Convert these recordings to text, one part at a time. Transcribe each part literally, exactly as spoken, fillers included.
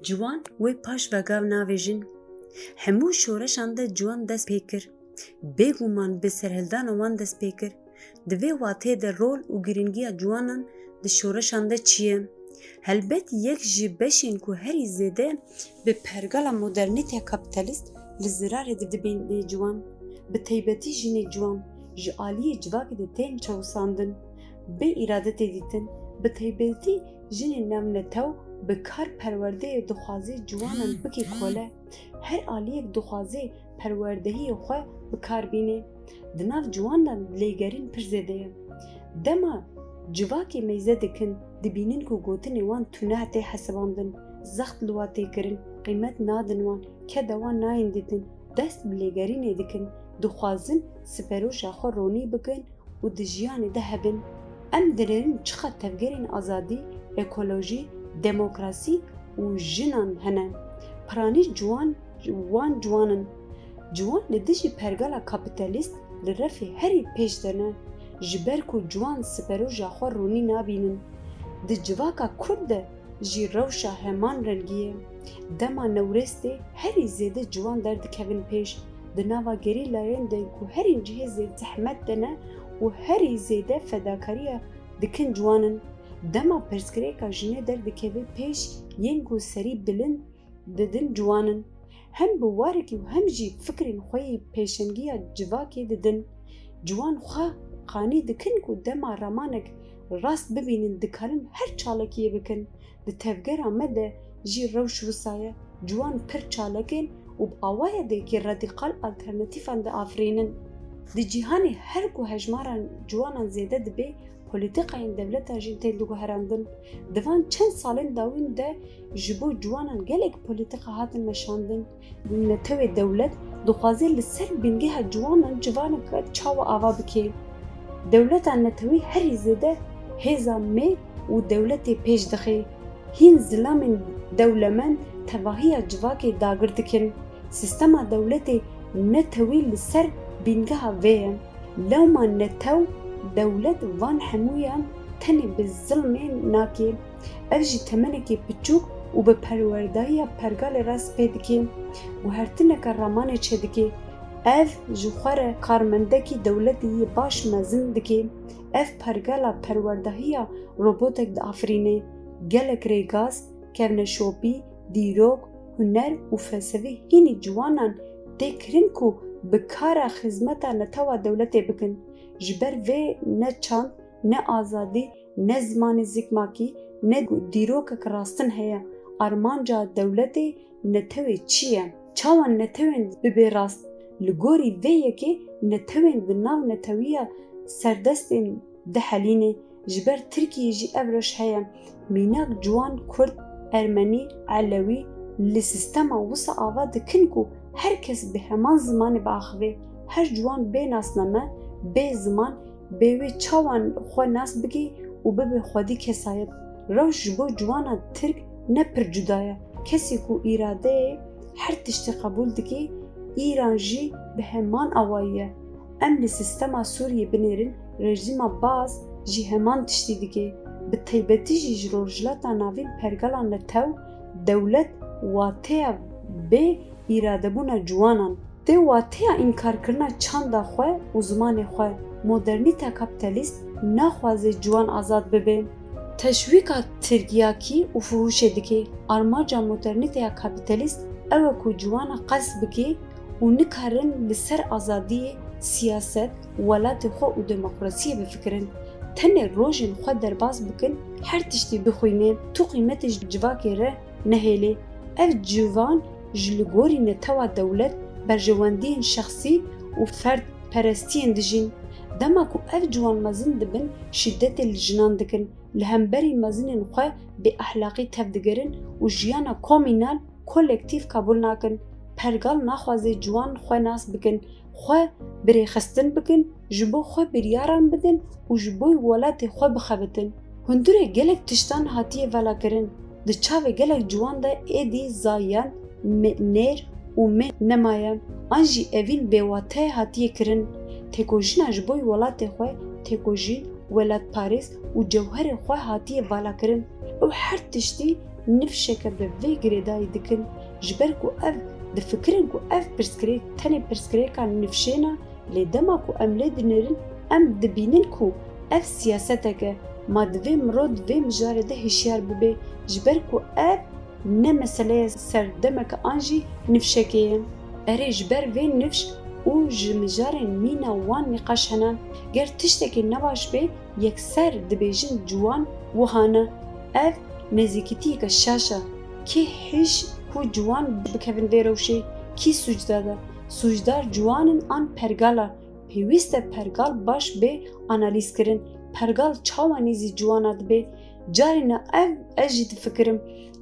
Ciwan wê paş vegav navêjin. Hemû şoreşan de ciwan dest pê kir. Bêguman bi serhildana wan dest pê kir. Di vê wateyê de rol û girîngiya ciwanan di şoreşan de çi ye? Helbet yek ji beşên ku herî zêde bi pergala modernîteya kapîtalîst li zirarê dibîne ciwan, bi taybetî jinê ciwan, ji aliyê civakê de tên çewisandin, bê îrade tê dîtin, bi taybetî jinên navnetew bi kar perwerdeyê dixwaze ciwanan bike kole. Her aliyek dixwaze perwerdehiyê xwe bi kar bîne. Di nav ciwan de lêgerîn pir zêde ye. Dema civakê meyze dikin, dibînin ku gotinê wan tune tê hesibandin, zext li wan tê kirin, qîmet nadin wan, keda wan nayên dîtin, dest bi lêgerînê dikin, dixwazin siperoja xwe ronî bikin û di jiyanê de hebin. Em dinêrin çiqas tevgerên azadî, ekolojî, demokrasî û jinan hene. Piranî ciwan, wan ciwan in. Ciwan li dijî pergala kapîtalîst li refê herî pêş de ne, ji ber ku ciwan siperoja xwe ronî nabînin. Di civaka kurd de jî rewşa heman rengî ye. Dema Newrêz tê, herî zêde ciwan derdikevin pêş. Di nava gerîlayên de ku herî cihê zêde zehmet de ne û herî zêde fedakariya dikin ciwan in. Dema pirsgirêka jinê derdikeve pêş, yên ku serî bilind didin ciwan in. Hem bi warekî û hem jî fikrên xwe yê pêşengiya civakê didin. Ciwan xwe qanî dikin ku dema ramanek rast bibînin, dikarin her çalakiyê bikin. Di tevgera me de jî rewş wisa ye. Ciwan pir çalak in û bi awayekî radîkal alternatîfan diafirînin. Di cîhanê her ku hejmara ciwanan zêde dibe, polîtîkayên dewletan jî tên diguherandin. Di van çend salên dawîn de ji bo ciwanan gelek polîtîka hatin meşandin. Netewê dewlet dixwaze li ser bîngeha ciwanan ciwaneke çawa ava bike. Dewleta netewî herî zêde hêza me û dewletê pêş dixe. Hîn zilamên dewlemend tevahiya civakê dagir dikin. Sîstema dewletê netewî li ser bîngeha vê ye. Lewma netew, dewlet van hemûyan tenê bi zilmê nake. Ev jî temenekî piçûk û bi perwerdahiya pergalê re spê dike. Guhertineke ramanê çêdike. Ev ji xwe re karmendekî dewletî yê baş mezin dike. Ev pergala perwerdahiya robotek diafirîne. Gelek rêgaz, kevneşopî, dîrok, huner û felsefê hînî ciwanan tê kirin ku bi kara xizmeta netewa dewletê bikin. Ji ber vê ne çand, ne azadî, ne zimanê zikmakî, ne dîrokek rastin heye. Armanca dewletê netewê çi ye? Çawa netewên bibe rast? Li gorî vê yekê netewên di nav netewiya serdestên dihelîne. Ji ber Tirkiyê jî ev rewş heye. Mînak ciwan kurd, ermenî, elewî li sîstema wisa ava dikin ku her kes bi heman zimanê biaxive. Her ciwan bê nasname, bê ziman, bê wê çawa xwe nas bike û bibe xwedî kesayet. Rewş ji bo ciwana tirk ne pir cuda ye. Kesê ku îradeyê her tiştî qebûl dike, îran jî bi heman awayî ye. Em li sîstema Sûriyê binêrin, rejîma Baas jî heman tiştî dike. Bi taybetî jî ji Rojhilata Navîn pergala netew, dewlet wateya bê îradebûna ciwanan. Tê wateya înkarkirina çanda xwe û zimanê xwe. Modernîteya kapîtalîst naxwaze ciwan azad bibe. Teşwîka tirkiyakî û fuhuşê dike. Armanca modernîteya kapîtalîst ew e ku ciwana qels bike û nikarin li ser azadiyê, siyaset, welatê xwe û demokrasiyê bifikirin. Tenê rojên xwe derbas bikin, her tiştî bixwîne, tu qîmetê ji civakê re nehêlê. Ev ciwan ji li gorî netewa dewlet, berjewendiyên şexsî û ferdperestiyên dijîn. Dema ku ev ciwan mezin dibin, şîdetê li jinan dikin, li hemberî mezinên xwe bêexlaqî tevdigerin û jiyana komînal, kolektîf qebûl nakin. Pergal naxwaze ciwan xwe nas bikin, xwe birêxistin bikin, ji bo xwe biryaran bidin û ji bo welatê xwe bixebitin. Hundirê gelek tiştan hatiye velakirin. Di çavê gelek ciwan de êdî zayend, me-, nêr û meh nemaye. An jî evîn bêwate hatiye kirin. Têkojîna ji bo welatê xwe, têkojîn, welatparêz û cewherê xwe hatiye valakirin. Ew her tiştî nifşeke bi vê girêdayî dikin, ji ber ku ev difikirin ku ev pirsgirêk tenê pirsgirêka nifşê ne, lê dema ku em lê dinêrin, em dibînin ku ev siyasetek e. Ma divê mirov di vê mijarê de hişyar bibe, ji ber ku ev ne meseleya serdemeke an jî nifşekê ye. Erê, ji ber vê nifş û ji mijarên mîna wan nîqaş hene. Ger tiştekê nebaş bê, yekser dibêjin ciwan wiha ne. Ev nêzîkîtiyeke şaş e. Kê hêj ku ciwan bikevin vê rewşê? Kî sûcdar e? Sûcdar ciwan in an pergal e? Pêwîst e pergal baş bê analîzkirin. Pergal çawa nêzî ciwana dibe? Carî ne ev ez jî difikirim.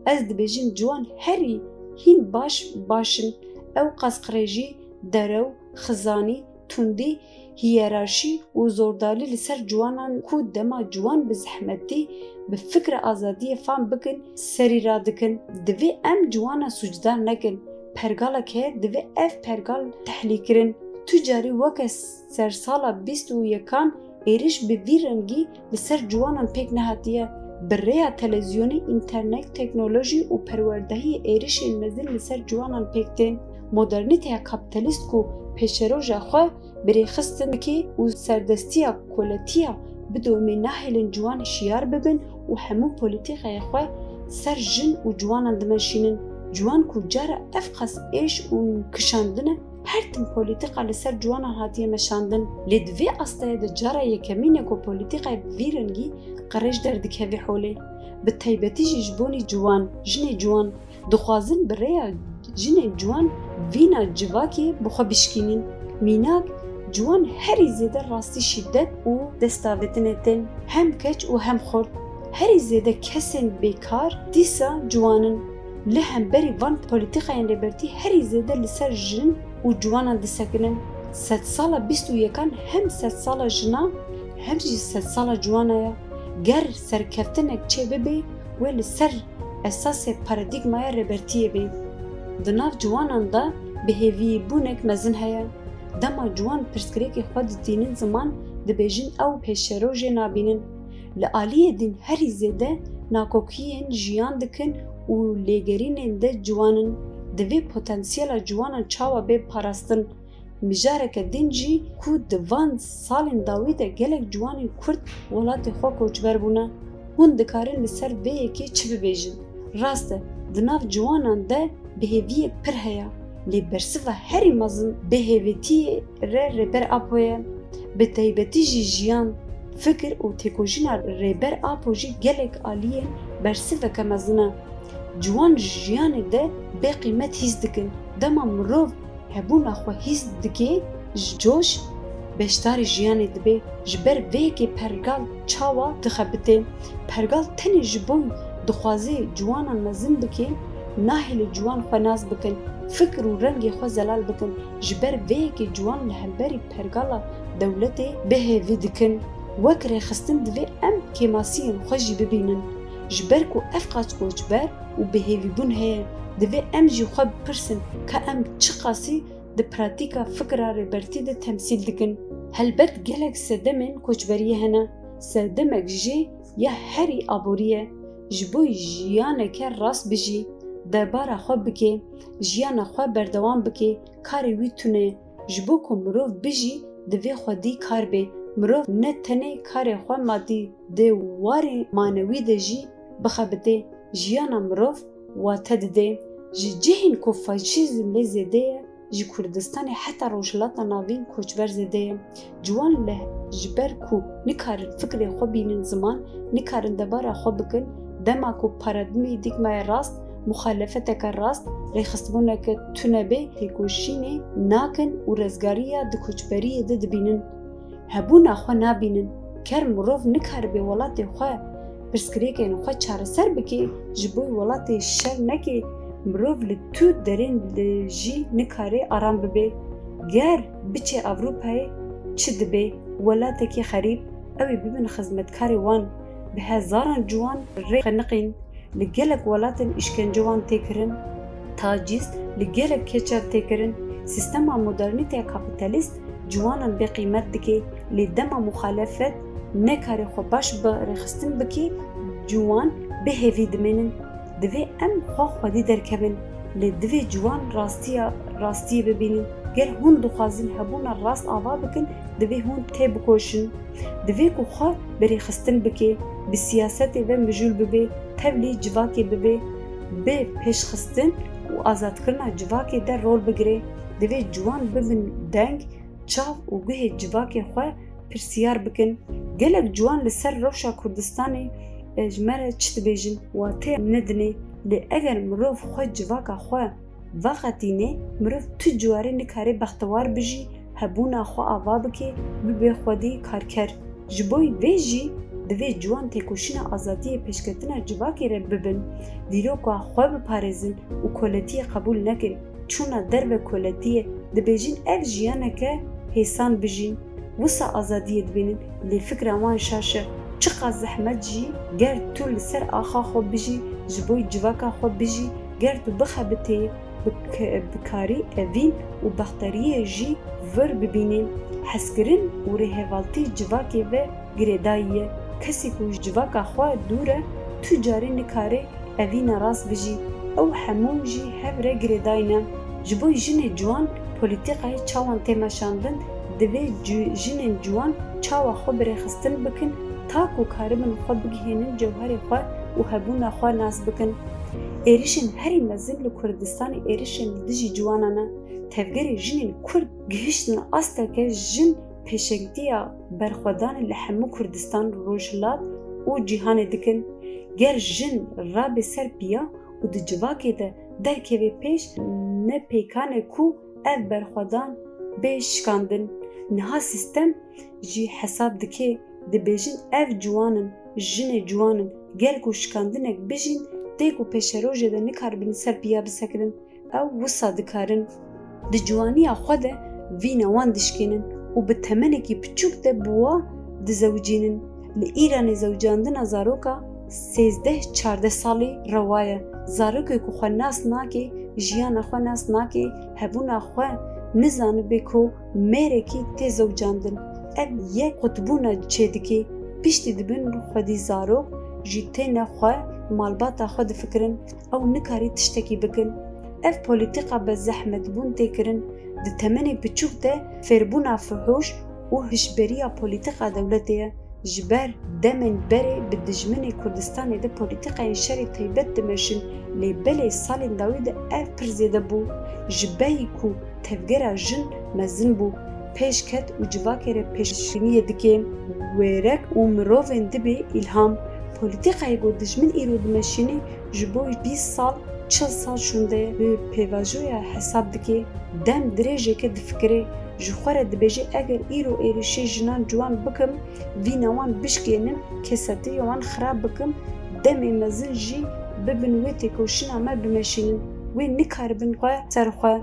Ez dibêjim ciwan herî hîn baş baş in. Ewqas qirêjî, derew, xizanî, tundî, hiyerarşî û zordarî li ser ciwanan ku dema ciwan bi zehmetî, bi fikra azadiyê fam bikin, serî radikin. Divê em ciwana sûcdar nekin. Pergalek heye, divê ev pergal tehlîkirin. Tu carî weke sersala bîst û yekan êriş bi vî rengî li ser ciwanan pêk nehatiye. Bi rêya televîzyonê, înternet, teknolojî û perwerdehiyê êrişên mezin li ser ciwanan pêk tên. Modernîteya kapîtalîst ku pêşeroja xwe bi rêxistin bike û serdestiya koletiya bidomê, nahêlin ciwan hişyar bibin û hemû polîtîkayê xwe ser jin û ciwanan dimeşînin. Ciwan ku cara ev qas êş û kişandin e, her tim polîtîka li ser ciwanan hatiye meşandin. Lê di vê astayê de cara yekemîn e ku polîtîkayê bi vî rengî qirêj derdikeve holê. Bi taybetî jî ji bonî ciwan, jinê ciwan, dixwazin bi rêya jinên ciwan vîna civakê bi xwe bişkînin. Mînak, ciwan herî zêde rastî şîdet û destavêtinê tên, hem keç û hem xort. Herî zêde kesên bêkar dîsa ciwan in. Li hemberî van polîtîkayên Rêbertî herî zêde li ser jin û ciwanan disekinin. Sedsala bîst û yekan hem sedsala jina, hem jî sedsala ciwana ye. Ger serkeftinek çêbibe, wê li ser esasê paradîgmaya Rêbertiyê bê. Di nav ciwanan de bêhêvîbûnek mezin heye. Dema ciwan pirsgirêkê xwe ditînin ziman, dibêjin ew pêşerojê nabînin. Li aliyê din herî zêde nakokiyên jiyan dikin û lêgerînên de ciwan in. Divê potansiyela ciwanan çawa bê parastin? Mijareke din jî ku di van salên dawî de gelek ciwanên Kurd welatê xwe koçber bûne. Hûn dikarin li ser vê yekê çi bibêjin? Rast e, di nav ciwanan de bêhêviyek pir heye, lê bersiva herî mezin bêhêvîtiyê re Rêber Apo ye. Bi taybetî jî jiyan, fikir û têkoşîna Rêber Apo jî gelek aliyên bersiveke mezin e. Ciwan ji jiyanê de bê qîmet hîs dikin. Dema mirov hebûna xwe hîs dike, ji coş beşdarî jiyanê dibe. Ji ber vê yekê pergal çawa dixebite? Pergal tenê ji bo dixwaze ciwanan mezin bike, nahêle ciwan xwe nas bikin, fikir û rengê xwe zelal bikin. Ji ber vê yekê ciwan li hemberî pergala dewletê bêhêvî dikin. Wek rêxistin divê em kêmasiyên xwe jî bibînin. Ji ber ku ev qas koçber û bêhêvîbûn heye, divê em jî xwe bipirsin ka em çiqasî di pratîka fikra Rêbertî de temsîl dikin. Helbet gelek sedemên koçberiyê hene. Sedemek jê ya herî aborî ye. Ji bo jiyaneke rast bijî, debara xwe bike, jiyana xwe berdewam bike, karê wî tune ye. Ji bo ku mirov bijî, divê xwedî kar bê. Mirov ne tenê karê xwe madî, di warê manewî de jî bixebitê. Jiyana mirov wate dide. Ji cihên ku faşîzm lê zêde ye, ji Kurdistanê heta Rojhilata Navîn koçber zêde ye. Ciwan li, ji ber ku nikarin fikrê xwe bînin ziman, nikarin debara xwe bikin, dema ku paradîgmaya rast, muxalefeteke rast, rêxistbûneke tune bê, têkoşînê nakin û rezgariya di koçberiyê de dibînin. Hebûna xwe nabînin. Ker mirov nikaribe welatê xwe pirsgirêkên xwe çareser bike, ji bo welatê şer neke, mirov li tu derên de jî nikare aram bibe. Ger biçe Ewropayê çi dibe? Welatekî xerîb, ew ê bibin xizmetkarê wan. Bi hezaran ciwan rê xeniqîn. Li gelek welatên îşkence wan tê kirin, tacîz, li gelek keçer tê kirin. Sîstema modernîteya kapîtalîst ciwanan bêqîmet dike, lê dema muxalefet nekare xwe baş bi rêxistin bike, ciwan bêhêvî dimênin. Divê em xwe xwedî derkevin, lê divê ciwan rastiya rastiyê bibînin. Ger hûn dixwazin hebûna rast ava bikin, divê hûn têbikoşin. Divê ku xwe bi rêxistin bike, bi siyasetê ve mijûl bibe, tevlî civakê bibe, bi pêşxistin û azadkirina civakê de rol bigire. Divê ciwan bibin deng, çav û guhê civakê xwe pirsiyar bikin. Gelek ciwan li ser rewşa Kurdistanê, e, ji me re çi dibêjin? Watê nedinê. Lê eger mirov xwe civaka xwe veqetînê, mirov tu carê nikare bextewar bijî, hebûna xwe ava bike, bibe xwedî karker. Ji bo vê jî divê ciwan têkoşîna azadiyê pêşketina civakê re bibin, dîroka xwe biparêzin û koletiyê qebûl nekin. Çûna derve koletiyê, dibêjin ev jiyaneke hêsan bijîn. Wisa azadiyê dibînin, lê fikra wan şaş e. Çiqas zehmet jî, ger tu li ser axa xwe bijî, ji bo civaka xwe bijî, ger tu bixebitê, bi ke-, bi karî evîn û bexteriyê jî vir bibînî. Hezkirin û rêhevaltî civakê ve girêdayî ye. Kesê ku ji civaka xwe dûr e, tu carî nikare evîna rast bijî. Ew hemû jî hev re girêdayî ne. Ji bo jinê ciwan polîtîkayê çawan tê meşandin, divê ci-, jinên ciwan çawa xwe bi rêxistin bikin, ta ku karibin xwe bigihênin cewherê xwe û hebûna xwe nas bikin. Êrişên herî mezin li Kurdistanê êrişên li dijî ciwanan e. Tevgerê jinên Kurd gihiştin asteke jin pêşengtiya berxwedanê li hemû Kurdistan, Rojhilat û cîhanê dikin. Ger jin rabe ser piya û di civakê de derkeve pêş, ne pêkan e ku ev berxwedan bê şikandin. Niha sîstem jî hesab dike, dibêjin ev ciwan in, jinê ciwan in, ger ku şikandinek bijîn, tê ku pêşerojê de nikaribin ser piya bisekinin. Ew wisa dikarin. Di ciwaniya xwe de vîna wan dişkênin û bi temenekî piçûk de bi wa dizewicînin. Li Îranê zewicandina zaroka sêzdeh çardeh salî rewa ye. Zarokê ku xwe nas nake, jiyana xwe nas nake, hebûna xwe nizanibe ku mêrekî tê zewicandin. Ev yek qutbûna çêdikê. Piştî dibin xwedî zarok jî têne xwe, malbata xwe difikirin. Ew nikarî tiştekî bikin. Ev polîtîka bi zehmetbûn tê kirin. Di temenê piçûk de fêrbûna fuhûş û hişberiya polîtîka dewletê ye. Ji ber demên berê bi dijminê Kurdistanê de polîtîkayên şerê taybet dimeşin, lê belê salên dawî de ev pir zêde bû. Ji berî ku tevgera jin mezin bû, pêş ket û civakê re pêşbîniyê dike. Wêrek û mirovên dibê îlham. Polîtîkayê ku dijmin îro dimeşîne, ji bo bîst sal, çil sal şûnde ye. Bi pêvajoya hesab dike, dem dirêjeke difikire, ji xwe re dibêje, eger îro êrişê jinan ciwan bikim, vîna wan bişkênim, kesetiya wan xirab bikim, demê mezin jî bibin wê têkoşîna me bimeşînin. Wê nikaribin xwe ser xwe.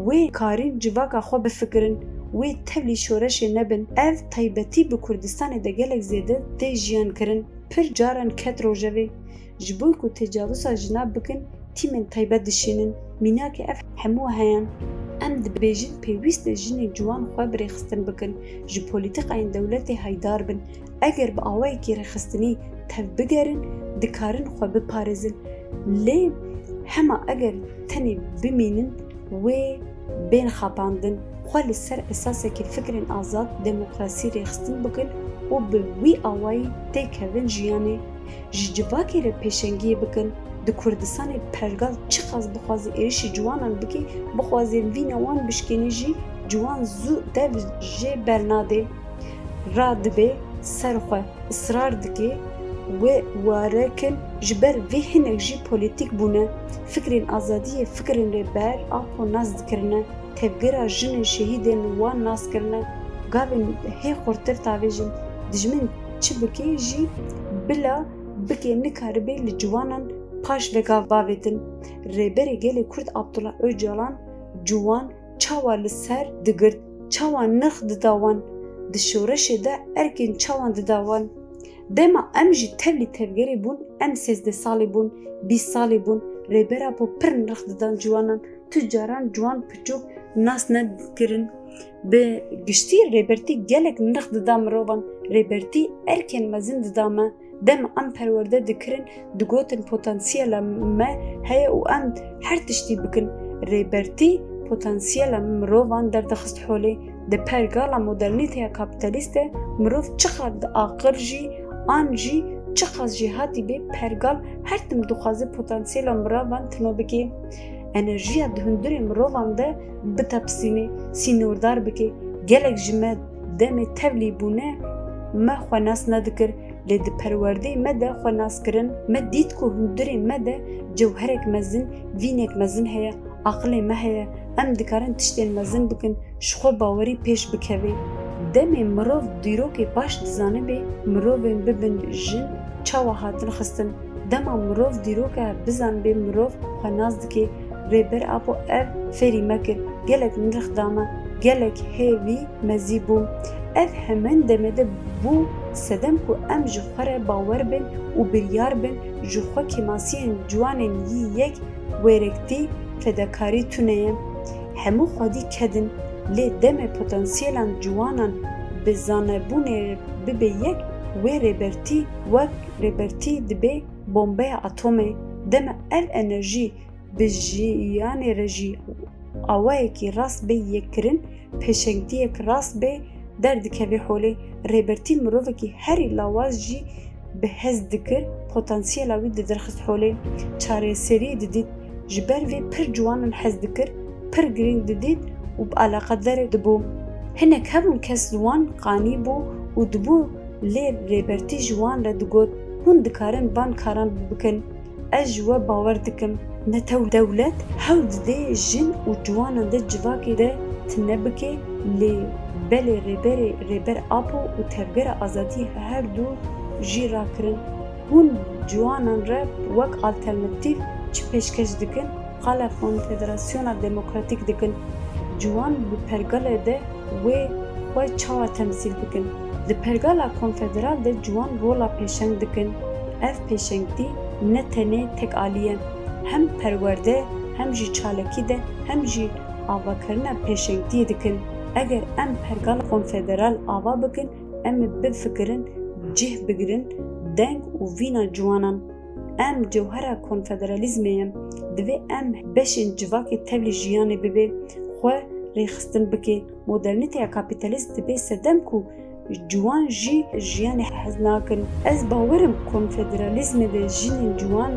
Wê karîn civaka xwe bifikirin. Wê tevlî şoreşê nebin. Ev taybetî bi Kurdistanê de gelek zêde tê jiyan kirin. Pir caran ket rojevê. Ji bo ku tecawiza jina bikin, tîmên taybet dişînin. Mînakê ev hemû heyan. Em dibêjin pêwîst e jinên ciwan xwe bi rêxistin bikin, ji polîtîkayên dewletê haydar bin. Eger bi awayekî rêxistinî tevbigerin, dikarin xwe biparêzin. Lê hema eger tenê bimînin, wê bên xapandin, xwe li ser esasekî fikrên azad, demokrasî rêxistin bikin û bi wî awayî têkevin jiyanê. Ji civakê re pêşengiyê bikin. Di Kurdistanê pergal çiqas bixwaze êrişî ciwanan bike, bixwaze vîna wan bişkêne jî, ciwan zû dev jê bernade. Radibe ser xwe, israr dike wê ware kin, ji ber vê hinek jî polîtîk bûne. Fikrên azadiyê fikrên Rêber Apo nas dikirine. Tevgera jinên şehîdên wan nas kirine. Gavên hê xurtir tavêjin. Dijmin çi bike jî bila bike nikaribe li ciwanan paş ve gav bavêtin. Rêberê gelê Kurd Abdullah Ocalan ciwan çawa li ser digirt, çawa nirx dida wan, di şoreşê de erkên çawan dida wan. Dema em jî tevlî tevgerê bûn, em sêzdeh salî bûn, bîst salî bûn, Rêber Apo pir nirx didan ciwanan, tu caran ciwan piçûk nas nedikirin. Bi giştî Rêbertî gelek nirx dida mirovan, Rêbertî erkên mezin dida me. Dem em perwerde dikirin, digotin potansiyela me heye û em her tiştî bikin. Rêbertî potansiyela mirovan derdixist holê. Di pergala modernîteya kapîtalîst de mirov çiqas aqil jî an jî çiqas jêhatî bê, pergal her tim dixwaze potansiyela mirovan tino bike. Enerjiya di hundirê mirovan de bitepisîne, sînordar bike. Gelek ji me demê tevlî bûne, me xwe nas nedikir, lê di perwerdeyê me de xwe nas kirin. Me dît ku hundirê me de cewherek mezin, vînek mezin heye, aqilê me heye. Em dikarin tiştên mezin bikin, ji xwe bawerî pêş bikeve. Demê mirov dîrokê baş dizanibe, mirovên bibin jin çawa hatin xistin. Dema mirov dîroka bizanibe, mirov xwe nas dike. Rêber Apo ev fêrî me kir, gelek nirx da me, gelek hêvî mezî bû. Ev hemen demê de bû sedem ku em ji xwe re bawer bin û biryar bin, ji xwe kêmasiyên ciwanên yî yek wêrektî, fedakarî tune ye. Hemû xwedî kedin, lê demê potansiyelan ciwanan bi zanebûnê bibe yek, wê rêbertî wek rêbertî dibe bombeya atomê. Dema ev enerjî bi jiyanê re jî awayekî rast bê yekkirin, pêşengtiyek rast bê, derdikeve holê. Rêbertî mirovekî herî lawaz jî bi hez dikir, potansiyela wî didirxist holê. Çareseriyê didît, ji ber vê pir ciwanan hez dikir, pir girîng didît û bi eleqedar dibû. Hinek hebûn kes li wan qanî bû û dibû, lê Rêbertî ji wan re digot, hûn dikarin van karan bikin. Ez ji we bawer dikim. Netew dewlet hewl dide jin û ciwanan di civakê de tune bike, lê belê Rêberê, Rêber Apo û Tevgera Azadiyê her du jî rakirin. Hûn ciwanan re wek alternatîf çi pêşkeş dikin? Qala Konfederasyona Demokratîk dikin. Ciwan bi pergalê de wê xwe çawa temsîl bikin? Di pergala konfederal de ciwan rola pêşeng dikin. Ev pêşengtî ne tenê tek alî ye. Hem perwerde, hem jî çalakî de, hem jî avakirina pêşengtiyê dikin. Eger em pergala konfederal ava bikin, em ê bifikirin, cih bigirin, deng û vîna ciwanan. Em cewhera konfederalîzmê ye. Divê em beşên civakê tevlî jiyanê bibe, xwe rêxistin bike. Modernîteya kapîtalîst dibe sedem ku ciwan jî jiyanê hez nakin. Ez bawer im konfederalîzmê de jinên ciwan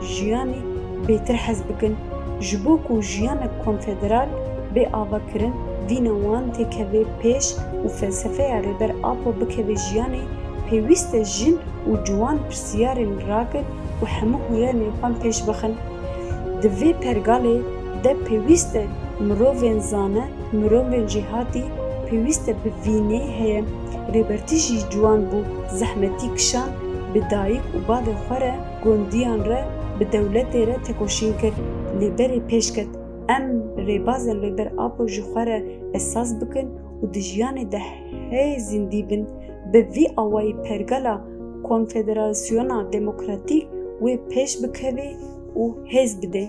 jiyanê bêtir hez bikin. Ji bo ku jiyanek konfederal bê avakirin, vîna wan têkeve pêş û felsefeya Rêber Apo bikeve jiyanê, pêwîst e jin û ciwan pirsiyarên rakin û hemû hunerên xwe pêş bixin. Di vê pergalê de pêwîst e mirovên zane, mirovên jêhatî, pêwîst e bi vînê heye. Rêbertî jî ciwan bû, zehmetî kişand, bi dayik û bavê xwe re, gondiyan re, bi dewletê re tekoşîn kir. Lê berê pêş ket. Em rêbazên Rêber Apo ji xwe re esas bikin û di jiyanê de hê zindî bin. Bi vî awayî pergala Konfederasyona Demokratîk wê pêş bikeve û hêz bide.